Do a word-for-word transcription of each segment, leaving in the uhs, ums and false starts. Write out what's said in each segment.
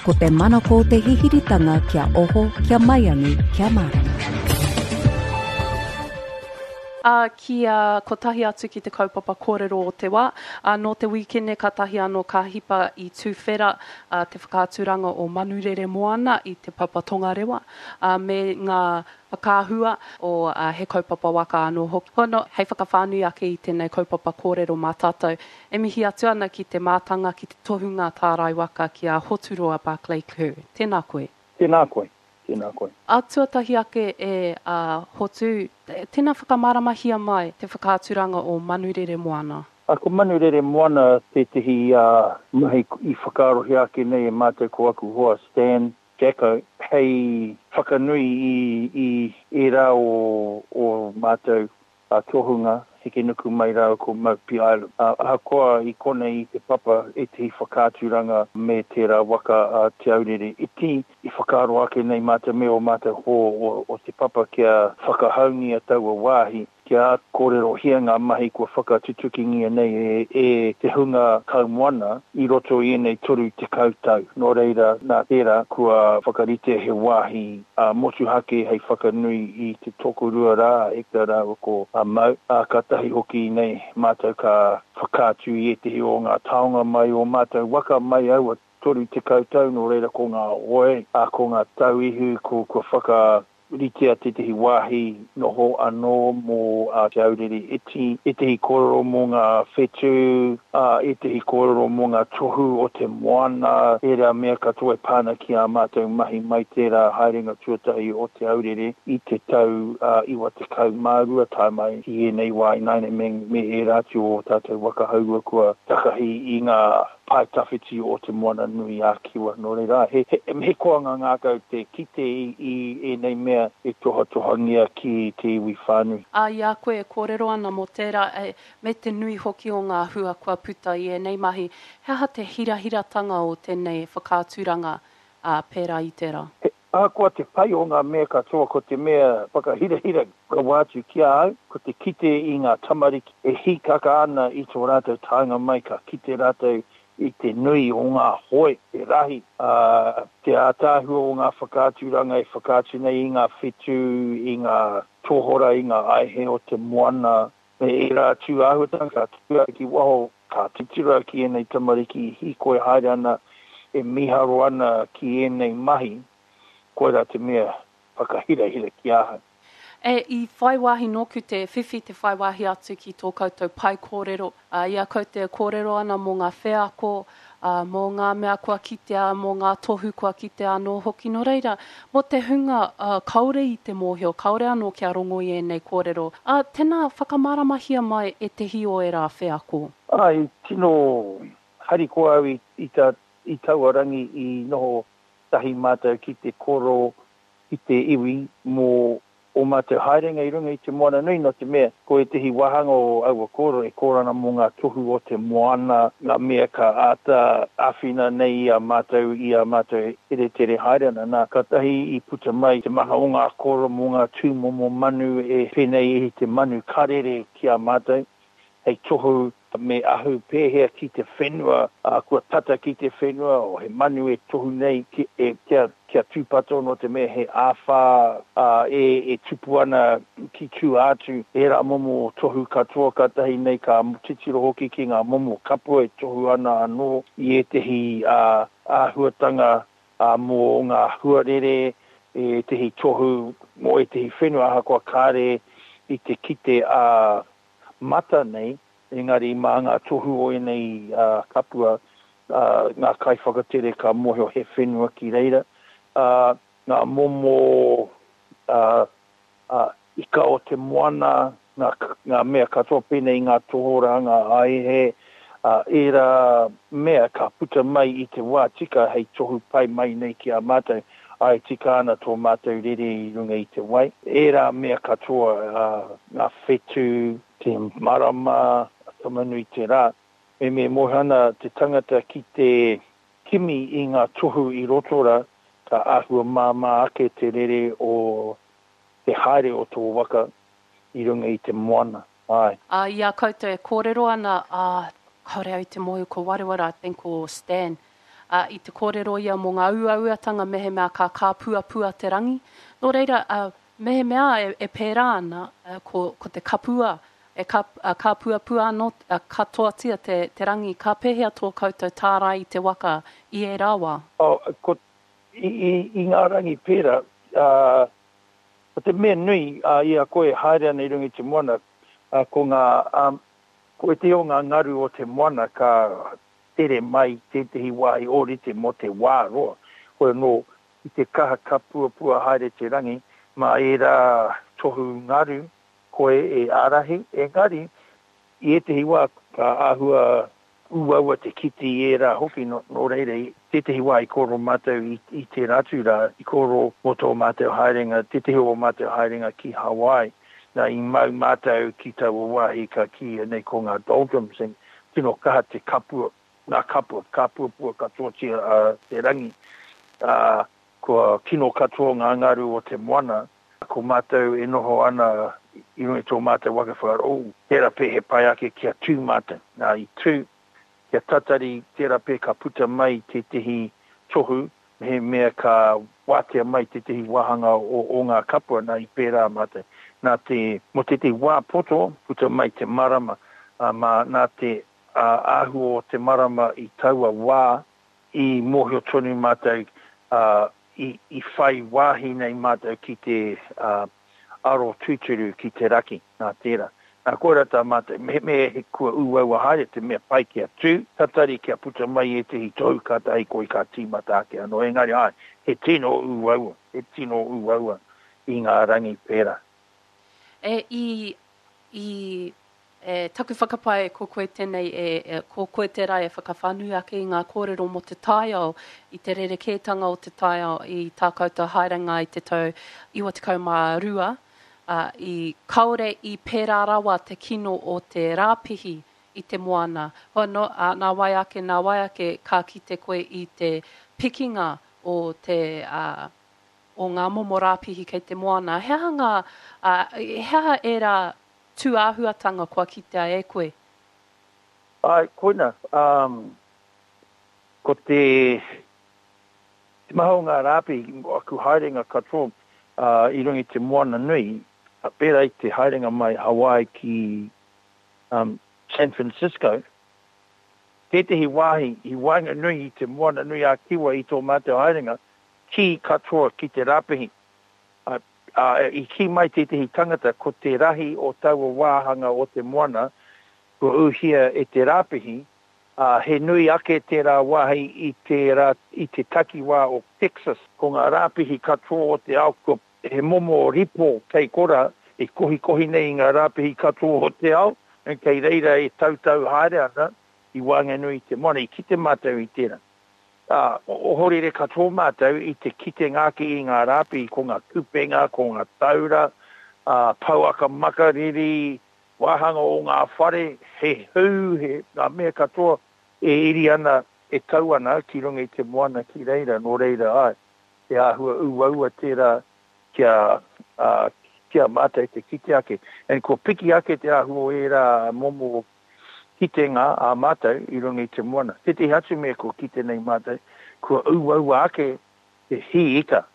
Ko te manako o te hihiritanga kia oho, kia maiangi, kia mārama. Ā, kia kotahi atu ki te kaupapa kōrero o te wā. Ā, nō te wīkene kātahi anō ka hipa i tuwhera te whakaaturanga o Manurere Moana i Te Papa Tongarewa, ā, me ngā whakaahua o He Kaupapa Waka anō hoki. Hono, hei whakawhānui ake i tēnei kaupapa kōrero mā tātou, e mihi atu ana ki te mātanga, ki te tohunga tārai waka ki a Hoturoa Barclay-Kerr. Tēnā koe. Tēnā koe. Tēnā koe. Ā, tuatahi ake e a Hotu, tēnā whakamāramahia mai te whakaaturanga o Manurere Moana. Ā, ko Manurere Moana tētehi mahi i whakaarohia ake nei e mātou ko aku hoa Stan, Jacko, hei whakanui i i ērā o ō mātou tohunga hekenuku mai rāua ko Maupi Island. Ahakoa i konei i Te Papa ētehi whakaaturanga me tērā waka a Te Aurere Iti, i whakaaro ake nei mātou me ō mātou hoa o Te Papa kia whakahaungia taua wāhi Kia kōrerohia ngā mahi kua whakatutukingia nei e te hunga kaumoana i roto i ēnei toru tekau tau. Nō reira, nā tērā, kua whakaritea he wāhi motuhake hei whakanui i te tokorua rā, a Hector rāua ko Mau, ā, kātahi hoki nei mātou ka whakaatu i ētehi o ngā taonga mai ō mātou waka mai aua toru tekau tau, nō reira ko ngā hoe, ā, ko ngā tauihu, ko, kua whaka. Ritea tētehi wāhi noho anō mō Te Aurere Iti, ētehi kōrero mō ngā whetū, ā, ētehi kōrero mō ngā tohu o te moana, ērā mea katoa e pā ana ki ā mātou mahi mai tērā haerenga tuatahi o Te Aurere i te tau iwa tekau mā rua tae mai ki ēnei wā ināianei me, me ērā atu o ō tātou waka haurua kua takahi i ngā pae tawhiti o Te Moana-nui-a-Kiwa. Nō reira, he, he koanga ngākau te kite i, i ēnei mea e tohatohangia ki te iwi whānui. Ā, i a koe e kōrero ana mō tērā, e, me te nui hoki o ngā hua kua puta i ēnei mahi, he aha te hirahiratanga o tēnei whakaaturanga, ā, pērā i tērā? He ahakoa te pai o ngā mea katoa, ko te mea whakahirahira rawa atu ki a au, ko te kite i ngā tamariki e hīkaka ana i tō rātou taenga mai, ka kite rātou i te nui o ngā hoe, te rahi, ā, te ātaahua o ngā whakaaturanga e whakaatu nei i ngā whetū, i ngā tohora, i ngā aihe o te moana, me ērā atu āhuatanga, ka tū au ki waho, ka titiro au ki ēnei tamariki e hīkoi haere ana, e mīharo ana ki ēnei mahi, koirā te mea whakahirahira ki ahau. E, i whai wāhi nōku te whiwhi te whai wāhi atu ki tō koutou pae kōrero. Ā, i a koutou e kōrero ana mō ngā wheako, ā, mō ngā mea kua kitea, mō ngā tohu kua kitea anō hoki. Nō reira, mō te hunga, ā, kāore i te mōhio, kāore anō kia rongo i ēnei kōrero, ā, tēnā, whakamāramahia mai ētehi o ērā wheako. Ā, i tino harikoa au i, i tā, i taua rangi i noho tahi mātou ki te koro ki te iwi mō ō mātou haerenga i runga i te moana nui, nō te mea ko ētehi wāhanga o aua kōrero e kōrero ana mō ngā tohu o te moana, ngā mea ka āta āwhina nei i a mātou i a mātou e teretere haere ana. Nā, kātahi i puta mai te maha o ngā kōrero mō ngā tūmomo manu e pēnei i te manu karere ki a mātou, hei tohu me ahu pēhea ki te whenua, ā, kua tata ki te whenua, o he manu e tohu nei ki, e, kia, kia tūpato nō te mea he āwhā, ā, e, e tupu ana ki tua atu, ērā momo tohu katoa kātahi nei ka titiro hoki ki ngā momo kapua e tohu ana anō i ētehi, ā, āhuatanga, ā, mō ngā huarere, ētehi tohu mō ētehi whenua ahakoa kāre i te kite ā mata nei, engari mā ngā tohu o ēnei kapua, ngā kaiwhakatere ka mōhio he whenua ki reira, ngā momo ika o te moana, ngā mea katoa pēnei i ngā tohorā, ngā aihe, ērā mea ka puta mai i te wā tika hei tohu pai mai nei ki a mātou, āe tika ana tō mātou rere i runga i te wai. Ērā mea katoa, ngā whetū, te marama, Tamanui te rā. Me me mōhio ana te tangata ki te kimi i ngā tohu i roto rā, ka āhua māmā ake te rere o te haere o tō waka i runga i te moana. Āe. Ā, i a koutou e kōrero ana, ā, kāore au i te mōhio ko wareware, I think ko Stan, Uh, i te kōrero ia mō ngā uauatanga mehemea ka kāpuapua te rangi. Nō reira, uh, mehemea e, e pērā ana, uh, ko, ko te kapua, e ka, uh, kāpuapua anō uh, katoatia te, te rangi, ka pēhea tō koutou tārai i te waka i ērā wā? Oh, ko, i, i, i ngā rangi pērā, uh, ko te mea nui uh, i a koe haere ana i runga i te moana, uh, ko ngā, um, ko ētehi o ngā ngaru o te moana ka tere mai tētehi wāhi ōrite mō te wā roa. Hoi anō, i te kaha kapuapua haere te rangi, mā ērā tohu ngaru koe e ārahi, engari, i ētehi wā ka āhua uaua te kite i ērā hoki, nō, nō reira, i tētehi wā i kōrero mātou i, i tērā atu rā, i kōrero mō tō mātou haerenga, tētehi o mātou haerenga ki Hawaii, nā, i mau mātou ki taua wāhi ka kīia nei ko ngā doldrums, and tino kaha te kapua, ngā kapua, kāpuapua katoatia uh, te rangi, uh, kua kino katoa ngā ngaru o te moana, ko mātou e noho ana i runga i tō mātou waka whakaaro, oh, tērā pē he pai ake kia tū mātou. Nā, i tū, kia tatari, tērā pē ka puta mai tētehi tohu, mehemea ka wātea mai tētehi wāhanga o, o ngā kapua, nā, i pērā mātou. Nā te, mō tētehi wā poto, puta mai te marama, uh, mā, nā te uh, āhua o te marama i taua wā, i mōhio tonu mātou, uh, i, i whai wāhi nei mātou ki te uh, aro tūturu ki te raki, nā tērā. Nā, koirā tā mātou, me, me he kua uaua haere te mea pai kia tū, tatari kia puta mai ētehi tohu kātahi koe ka tīmata ake anō. Engari ai, he tino uaua, he tino uaua i ngā rangi pērā. E, i, i e, taku whakapae ko koe tēnei, e, e, ko koe tērā e whakawhānui ake i ngā kōrero mō te taiao, i te rerekētanga o te taiao i tā koutou haerenga i te tau iwa tekau mā rua, uh, i kaore i pērā rawa te kino o te rāpihi i te moana. Hoi anō, uh, nā wai ake, nā wai ake, ka kite koe i te pikinga o te, uh, o ngā momo rāpihi kei te moana. He aha ngā, uh, he aha ērā tūāhuatanga kua kitea e koe? Ai, koina, um, ko te, te maha o ngā rāpihi, aku haerenga katoa uh, i runga i te moana nui, pērā i te haerenga mai Hawaii ki um, San Francisco, tētehi wāhi i waenganui i te moana nui a Kiwa i tō mātou haerenga, kī katoa ki te rāpihi. Uh, uh, i kī mai tētehi tangata ko te rahi o taua wāhanga o te moana kua uhia e te rāpihi, uh, he nui ake tērā wāhi i te, rā, i te takiwā o Texas. Ko ngā rāpihi katoa o te ao, ko he momo ripo kei kora e kohikohi nei i ngā rāpihi katoa o te ao, and kei reira e tautau haere ana i waenganui i te moana, i kite mātou i tērā. Uh, ohorere katoa mātou i te kitenga ake i ngā rāpihi, ko ngā kupenga, ko ngā taura, uh, pouaka makariri, wāhanga o ngā whare, he hū, he ngā mea katoa e iri ana, e tau ana ki runga i te moana ki reira, nō reira ai. He āhua uaua tērā kia, uh, kia mātou te kite ake. And ko piki ake te āhua o ērā momo kitenga a mātou i runga i te moana. Tētehi atu mea kua kite nei mātou, kua uaua ake te hī ika.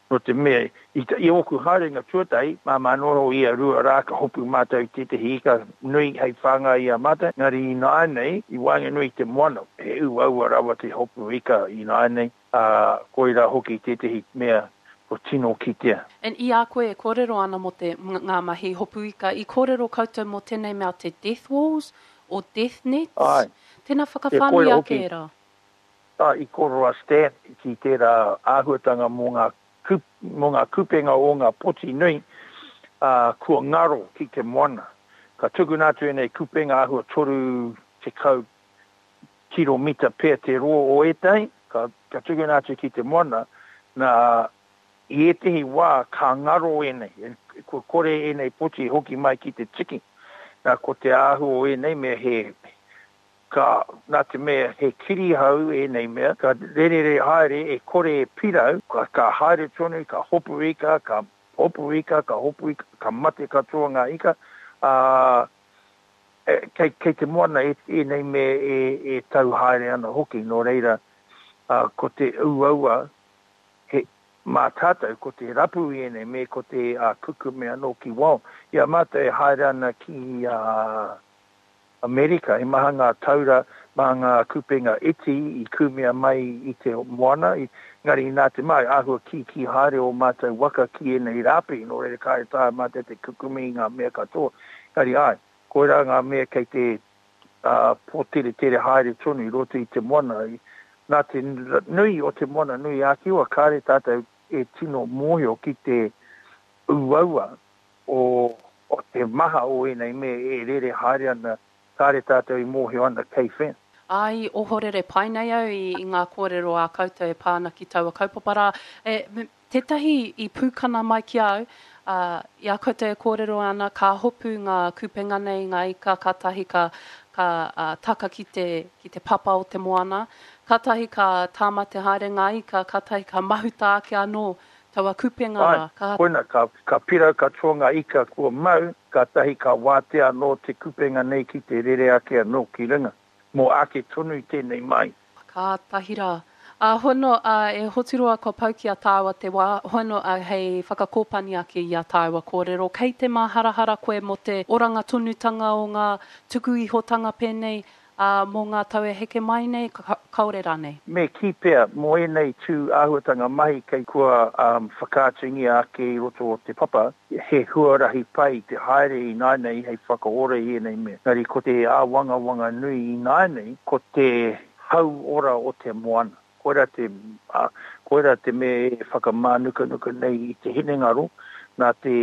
Nō te mea, i, i ōku haerenga tuatahi, māmā noho ia rua rā ka hopu mātou i tētehi ika nui hei whāngai i a mātou. Engari ināianei, i waenganui i te moana, he uaua rawa te hopu ika ināianei, uh, koirā hoki tētehi mea ko tino kitea. And i a koe e kōrero ana mō te ngā mahi hopu ika, i kōrero koutou mō tēnei mea te death walls o death nets? Ai. Tēnā whakawhānui ake ērā. Ai, i kōrero a Stan ki tērā āhuatanga mō ngā, kup, mō ngā kupenga o ngā poti nui, uh, kua ngaro ki te moana. Ka tukuna atu ēnei kupenga āhua toru tekau kiromita pea te roa o ētahi, ka, ka tukuna atu ki te moana, nā i ētehi wā ka ngaro ēnei, kua kore ēnei poti hoki mai ki te tiki. Nā, ko te āhua o ēnei mea he, ka, nā te mea he kirihau ēnei mea, ka rerere haere e kore e pirau, ka, ka haere tonu, ka hopu ika, ka hopu ika, ka hopu ika, ka mate katoa ngā ika, uh, kei, kei te moana e, ēnei mea e, e tau haere ana hoki, nō reira, Ā, ko te uaua, he, mā tātou, ko te rapu i ēnei me ko te ā, kukume anō ki wao. I a mātou e haere ana ki ā, Amerika, he maha ngā taura, maha ngā kupenga iti i kūmea mai i te moana, engari nā te mea, āhua kīkī haere ō mātou waka ki ēnei rāpi, nō reira kāre taea mātou te kukume i ngā mea katoa. Engari āe, koirā ngā mea kei te pōteretere haere tonu i roto i te moana. Nā te nui o te Moana Nui ā-Kiwa, kāre tātou e tino mōhio ki te uaua o o te maha o ēnei mea e rere haere ana, kāre tātou i mōhio ana kei whea. Ā, i ohorere pai nei au i i ngā kōrero a koutou e pā ana ki taua kaupapa rā. E, tētahi i pūkana mai ki a au, ā, i a koutou e kōrero ana, ka hopu ngā kupenga nei, ngā ika, kātahi ka, ka ā, taka ki te, ki te papa o te moana, kātahi ka tāmate haere ngā ika, kātahi ka mahuta ake anō taua kupenga Āe, rā, ka. koina, ka, ka pirau katoa ngā ika kua mau, kātahi ka wātea anō te kupenga nei ki te rere ake anō ki runga. Mō ake tonu tēnei mai. Kātahi rā. Ā, hono, ā, e Hoturoa kua pau ki a tāua te wā, hono, ā, hei whakakōpani ake i a tāua kōrero. Kei te māharahara koe mō te oranga tonutanga o ngā tuku ihotanga pēnei, ā, mō ngā tau e heke mai nei, kāore rānei? Me kī pea, mō ēnei tū āhuatanga mahi kei kua whakaatungia ake i roto o te papa, he huarahi pai te haere ināianei hei whakaora i ēnei mea. Engari ko te āwangawanga nui ināianei, ko te hauora o te moana. Koirā te, ā, koirā te mea e whakamānukanuka nei i te hinengaro, nā te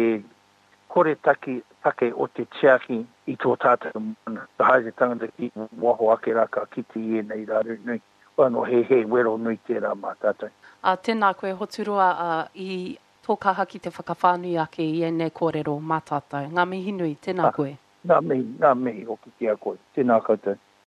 kore taki, take o te tiaki i tō tātou moana. Ka haere te tangata ki waho ake rā ka kite i ēnei raru nui. Hoi anō, he, he wero nui tērā mā tātou. Ā, tēnā koe Hoturoa, ā, i tō kaha ki te whakawhānui ake i ēnei kōrero mā tātou. Ngā mihi nui, tēnā Ā, koe. ngā mihi, ngā mihi hoki ki a koe. Tēnā koutou.